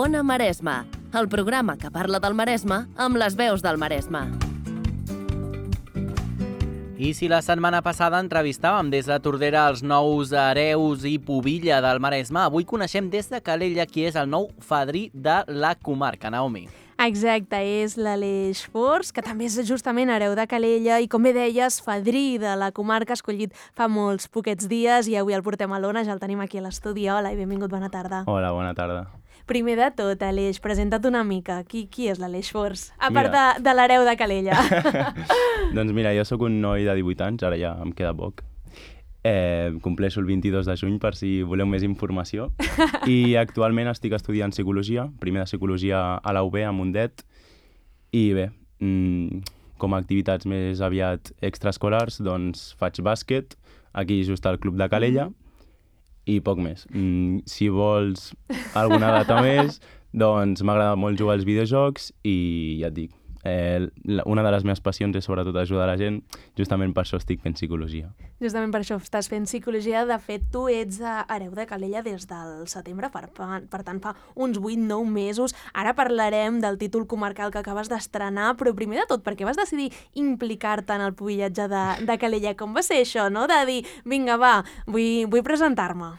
Ona Maresme, el programa que parla del Maresme amb les veus del Maresme. I si la setmana passada entrevistàvem des de Tordera els nous hereus i pubilla del Maresme, avui coneixem des de Calella qui és el nou fadrí de la comarca, Naomi. Exacte, és l'Aleix Fors, que també és justament hereu de Calella i, com bé deies, fadrí de la comarca, escollit fa molts poquets dies, i avui el portem a l'Ona, ja el tenim aquí a l'estudi. Hola i benvingut, bona tarda. Hola, bona tarda. Primer de tot, Aleix, presenta't una mica. Qui és l'Aleix Fors? A part de l'hereu de Calella. Doncs mira, jo sóc un noi de 18 anys, ara ja em queda poc. Compleixo el 22 de juny, per si voleu més informació. I actualment estic estudiant psicologia, primer de psicologia a la UB, a Mundet. I bé, com a activitats més aviat extraescolars, doncs faig bàsquet, aquí just al Club de Calella, i poc més. Si vols alguna data més, doncs m'agrada molt jugar als videojocs i ja et dic, una de les meves passions és sobretot ajudar la gent, justament per això estic fent psicologia. Justament per això estàs fent psicologia. De fet, tu ets hereu de Calella des del setembre, per tant fa uns 8-9 mesos. Ara parlarem del títol comarcal que acabes d'estrenar, però primer de tot, per què vas decidir implicar-te en el pubillatge de Calella? Com va ser això, no? De dir, vinga, va, vull presentar-me.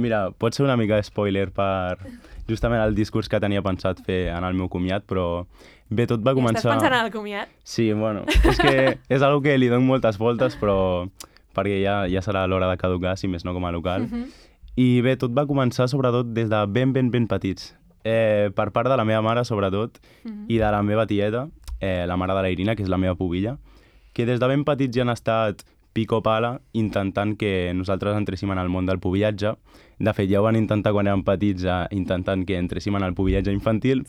Mira, pot ser una mica de spoiler per justament el discurs que tenia pensat fer en el meu comiat, però bé, tot va començar... Estàs pensant en el comiat? Sí, bueno, és que és algo que li dono moltes voltes, però perquè ja serà l'hora de caducar, si més no com a local. I bé, tot va començar sobretot des de ben petits. Per part de la meva mare, sobretot, i de la meva tieta, la mare de la Irina, que és la meva pubilla, que des de ben petits ja han estat pico pala intentant que nosaltres entréssim en el món del pubillatge. De fet, ja ho van intentar quan érem petits, intentant que entréssim en el pubillatge infantil,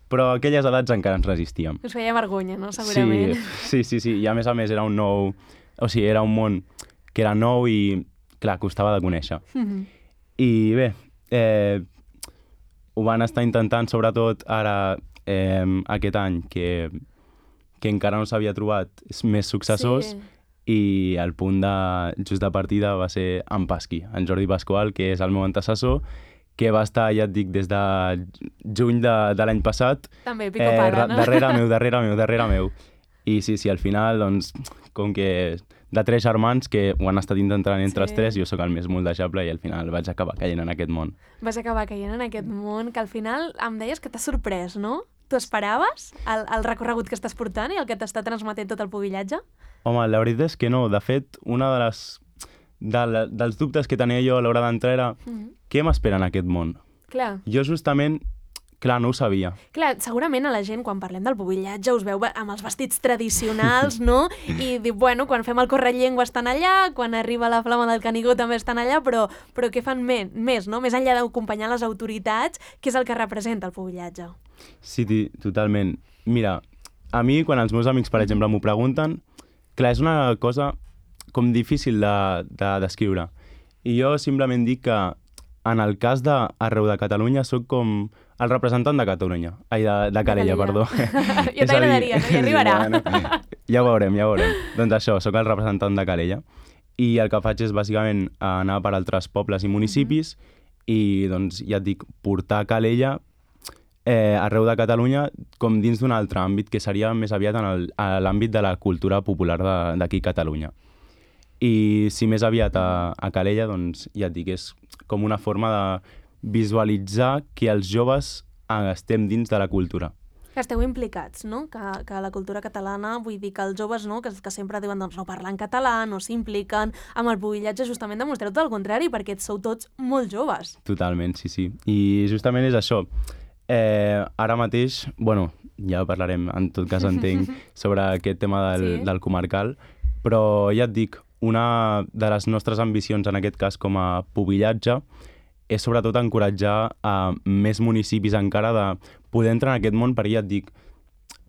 però a aquelles edats encara ens resistíem. Us feia vergonya, no? Segurament. Sí. I a més era un nou... O sigui, era un món que era nou i, clar, costava de conèixer. I bé, ho van estar intentant, sobretot ara, aquest any, que encara no s'havia trobat més successors, i el punt just de partida va ser en Pasqui, en Jordi Pasqual, que és el meu antecessor, que va estar, ja et dic, des de juny de l'any passat. També, pico pala, no? Darrere meu. I sí, al final, doncs, com que de 3 germans que ho han estat intentant entre els 3, jo sóc el més moldejable i al final vaig acabar caient en aquest món. Vas acabar caient en aquest món, que al final em deies que t'ha sorprès, no? Tu esperaves el recorregut que estàs portant i el que t'està transmetent tot el pubillatge? Home, la veritat és que no. De fet, una dels dubtes que tenia jo a l'hora d'entrar era què m'espera en aquest món? Clar. Jo justament, no ho sabia. Clar, segurament a la gent, quan parlem del pubillatge, us veu amb els vestits tradicionals, no? I diu, bueno, quan fem el correllengua estan allà, quan arriba la flama del Canigó també estan allà, però què fan més, no? Més enllà d'acompanyar les autoritats, què és el que representa el pubillatge? Sí, totalment. Mira, a mi, quan els meus amics, per exemple, m'ho pregunten, clar, és una cosa com difícil de descriure. I jo simplement dic que en el cas d'arreu de Catalunya soc com el representant de Catalunya. Ai, de Calella, perdó. Ja t'agradaria, no? Ja arribarà. Bueno, ja ho veurem. Doncs això, soc el representant de Calella. I el que faig és bàsicament anar per altres pobles i municipis i, doncs, ja et dic, portar Calella arreu de Catalunya com dins d'un altre àmbit, que seria més aviat en l'àmbit de la cultura popular d'aquí a Catalunya. I si més aviat a Calella, doncs ja et dic, és com una forma de visualitzar que els joves estem dins de la cultura. Que esteu implicats, no? Que la cultura catalana, vull dir que els joves, no? Que sempre diuen doncs, no parlen català, no s'impliquen, amb el pubillatge justament demostreu tot el contrari, perquè sou tots molt joves. Totalment, sí. I justament és això. Ara mateix, bueno, ja parlarem, en tot cas entenc, sobre aquest tema del comarcal, però ja et dic, una de les nostres ambicions en aquest cas com a pubillatge és sobretot encoratjar a més municipis encara de poder entrar en aquest món, perquè ja et dic,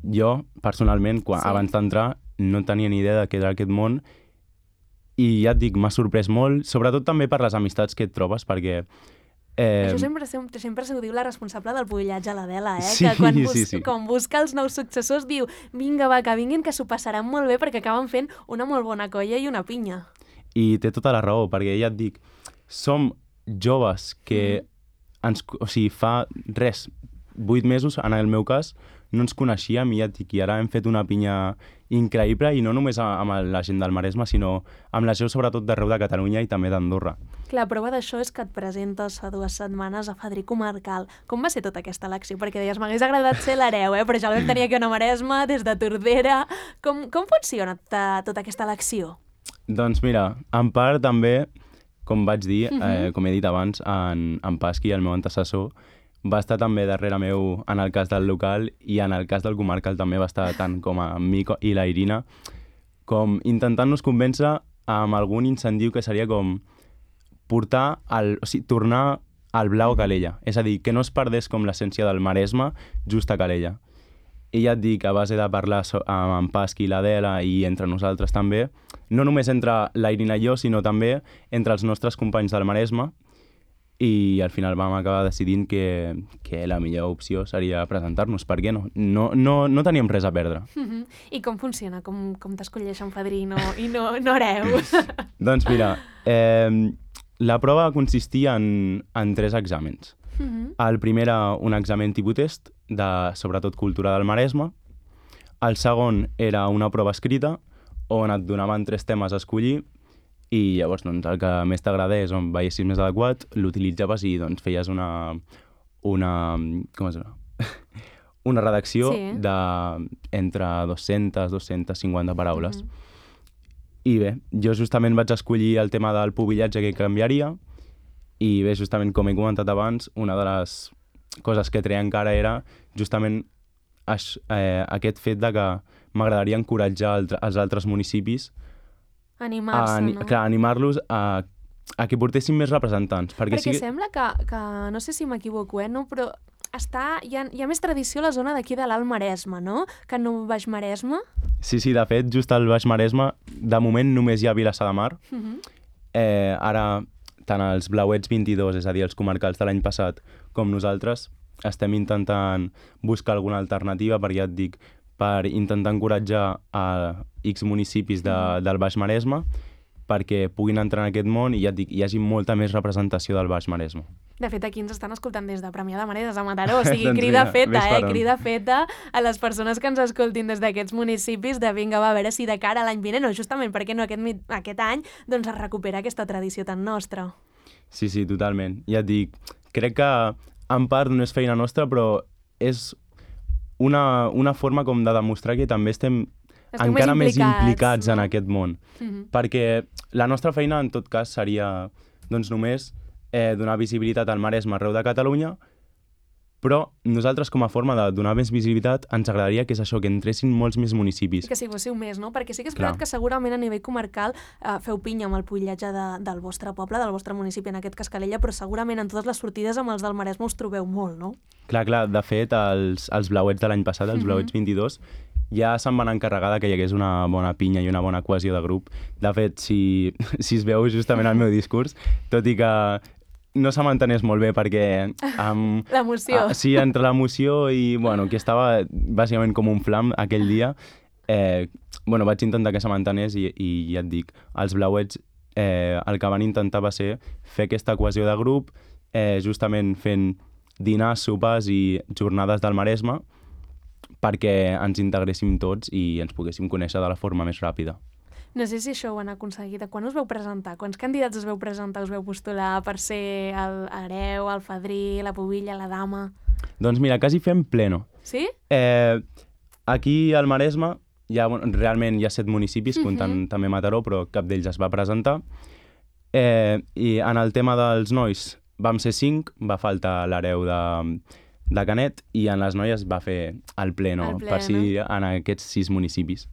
jo personalment, abans d'entrar, no tenia ni idea de què era aquest món i ja et dic, m'ha sorprès molt, sobretot també per les amistats que et trobes, perquè Això sempre s'ho diu la responsable del pubillatge, l'Adela, Sí, que quan busca els nous successors diu vinga, va, que vinguin, que s'ho passaran molt bé perquè acaben fent una molt bona colla i una pinya. I té tota la raó, perquè ja et dic, som joves que o sigui, fa res, 8 mesos, en el meu cas, no ens coneixíem i ja et dic, i ara hem fet una pinya increïble, i no només amb la gent del Maresme, sinó amb la gent sobretot d'arreu de Catalunya i també d'Andorra. La prova d'això és que et presentes fa 2 setmanes a Fadrí Comarcal. Com va ser tota aquesta elecció? Perquè deies, m'hagués agradat ser l'hereu, però ja el vam tenir aquí a Maresme, des de Tordera. Com funciona tota aquesta elecció? Doncs mira, en part també, com vaig dir, com he dit abans, en Pasqui, el meu antecessor, va estar també darrere meu en el cas del local, i en el cas del comarcal també va estar tant com a mi i la Irina, com intentant-nos convèncer amb algun incentiu que seria com tornar al blau a Calella. És a dir, que no es perdés com l'essència del Maresme just a Calella. I ja et dic, a base de parlar amb en Pasqui i l'Adela i entre nosaltres també, no només entre la Irina i jo, sinó també entre els nostres companys del Maresme, i al final vam acabar decidint que la millor opció seria presentar-nos. Per què no? No teníem res a perdre. I com funciona? Com t'escolleixen Fadrí i no hereus? Doncs mira, la prova consistia en 3 exàmens. El primer era un examen tipus test, de sobretot cultura del Maresme. El segon era una prova escrita, on et donaven 3 temes a escollir, i llavors doncs, el que més t'agradés, on veiessis més adequat, l'utilitzaves i doncs, feies una redacció entre 200-250 paraules. I bé, jo justament vaig escollir el tema del pubillatge que canviaria, i bé, justament com he comentat abans, una de les coses que treia encara era justament aquest fet de que m'agradaria encoratjar els altres municipis animar-se, no? Clar, animar-los a que portessin més representants. Perquè sembla que, no sé si m'equivoco, no? Però hi ha més tradició a la zona d'aquí de l'Alt Maresme, no? Que no Baix Maresme? Sí, de fet, just al Baix Maresme, de moment només hi ha Vilassar de Mar. Ara, tant els Blauets 22, és a dir, els comarcals de l'any passat, com nosaltres, estem intentant buscar alguna alternativa, perquè ja et dic, per intentar encoratjar a X municipis del Baix Maresme perquè puguin entrar en aquest món i ja et dic, hi hagi molta més representació del Baix Maresme. De fet, aquí ens estan escoltant des de Premià de Mar, des de Mataró, o sigui, doncs crida feta, crida feta a les persones que ens escoltin des d'aquests municipis de vinga, va, a veure si de cara a l'any vinent, o justament perquè no aquest any, doncs es recupera aquesta tradició tan nostra. Sí, totalment. Ja et dic, crec que en part no és feina nostra, però és una forma com de demostrar que també estem encara més implicats en aquest món. Perquè la nostra feina, en tot cas, seria doncs, només donar visibilitat al Maresme arreu de Catalunya, però nosaltres, com a forma de donar més visibilitat, ens agradaria que és això, que entressin molts més municipis. I que si fóssiu més, no? Perquè sí que és veritat que segurament a nivell comarcal feu pinya amb el pubillatge del vostre poble, del vostre municipi, en aquest cas Calella, però segurament en totes les sortides amb els del Maresme us trobeu molt, no? Clar, de fet, els Blauets de l'any passat, els Blauets 22, ja se'n van encarregar que hi hagués una bona pinya i una bona cohesió de grup. De fet, si es veu justament el meu discurs, tot i que no se m'entenés molt bé perquè... L'emoció. Sí, entre l'emoció i, que estava bàsicament com un flam aquell dia, vaig intentar que se m'entenés i ja et dic, els Blauets el que van intentar va ser fer aquesta cohesió de grup, justament fent dinars, sopars i jornades del Maresme perquè ens integréssim tots i ens poguéssim conèixer de la forma més ràpida. No sé si això ho han aconseguit. Quan us veu presentar? Quants candidats us veu presentar, us veu postular per ser l'hereu, el fadrí, la pubilla, la dama? Doncs mira, quasi fem pleno. Sí? Aquí al Maresme realment hi ha 7 municipis, comptant també Mataró, però cap d'ells es va presentar. I en el tema dels nois vam ser 5, va faltar l'hereu de Canet, i en les noies va fer el pleno, per si en aquests 6 municipis.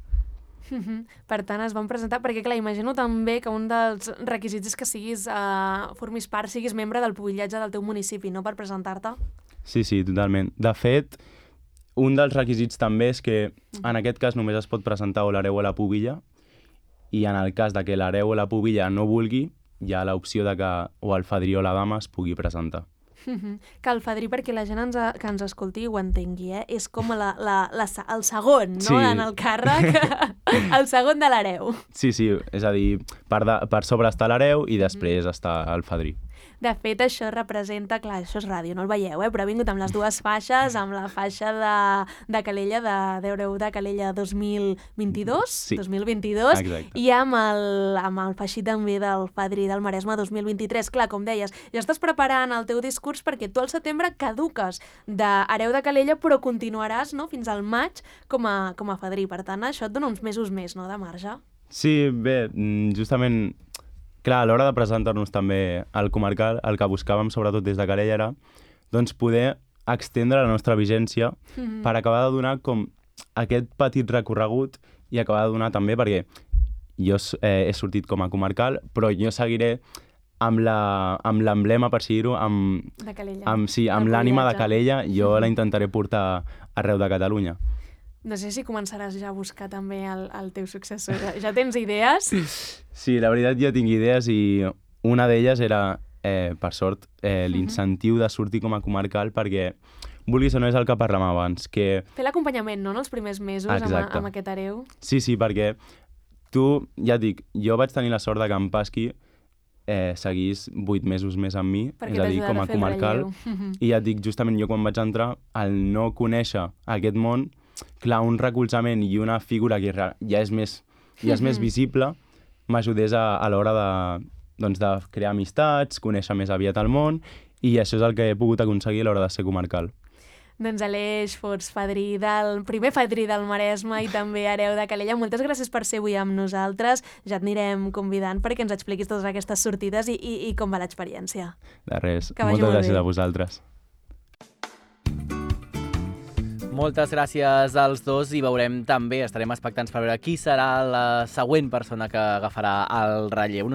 Per tant, es van presentar, perquè clar, imagino també que un dels requisits és que formis part, siguis membre del pubillatge del teu municipi, no?, per presentar-te. Sí, totalment. De fet, un dels requisits també és que en aquest cas només es pot presentar o l'hereu o la pubilla, i en el cas de que l'hereu o la pubilla no vulgui, hi ha l'opció de que o el fadrí o la dama es pugui presentar. Que el fadrí, perquè la gent que ens escolti ho entengui, és com el segon, no?, en el càrrec, el segon de l'hereu. Sí, és a dir, per sobre està l'hereu i després està el fadrí. De fet, això representa, clar, això és ràdio, no el veieu, però ha vingut amb les dues faixes, amb la faixa de Calella, de Calella 2022, Sí. 2022, Exacte. i amb el faixí també del Fadrí del Maresme 2023. Clar, com deies, ja estàs preparant el teu discurs perquè tu al setembre caduques d'hereu de Calella, però continuaràs, no?, fins al maig com a fadrí. Per tant, això et dona uns mesos més, no?, de marge. Sí, bé, justament, clar, a l'hora de presentar-nos també al comarcal, el que buscàvem sobretot des de Calella era doncs, poder extendre la nostra vigència per acabar de donar com aquest petit recorregut i acabar de donar també, perquè jo he sortit com a comarcal, però jo seguiré amb l'emblema, per dir-ho, De Calella. amb l'ànima de Calella, jo la intentaré portar arreu de Catalunya. No sé si començaràs ja a buscar també el teu successor. Ja tens idees? Sí, la veritat jo tinc idees i una d'elles era, per sort, l'incentiu de sortir com a comarcal perquè, vulguis o no, és el que parlàvem abans, que... Fer l'acompanyament, no?, en els primers mesos amb aquest hereu. Sí, perquè tu, ja et dic, jo vaig tenir la sort de que en Pasqui seguís 8 mesos més amb mi, Perquè és a dir, com a comarcal, i ja et dic, justament jo quan vaig entrar, al no conèixer aquest món, clar, un recolzament i una figura que ja és més visible, m'ajudés a l'hora de crear amistats, conèixer més aviat el món, i això és el que he pogut aconseguir a l'hora de ser comarcal. Doncs Aleix Fots, primer fadrí del Maresme i també hereu de Calella, moltes gràcies per ser avui amb nosaltres. Ja et anirem convidant perquè ens expliquis totes aquestes sortides i com va l'experiència. De res, Que vagi moltes molt gràcies bé. a vosaltres. Moltes gràcies als dos i veurem també, estarem expectants per veure qui serà la següent persona que agafarà el relleu.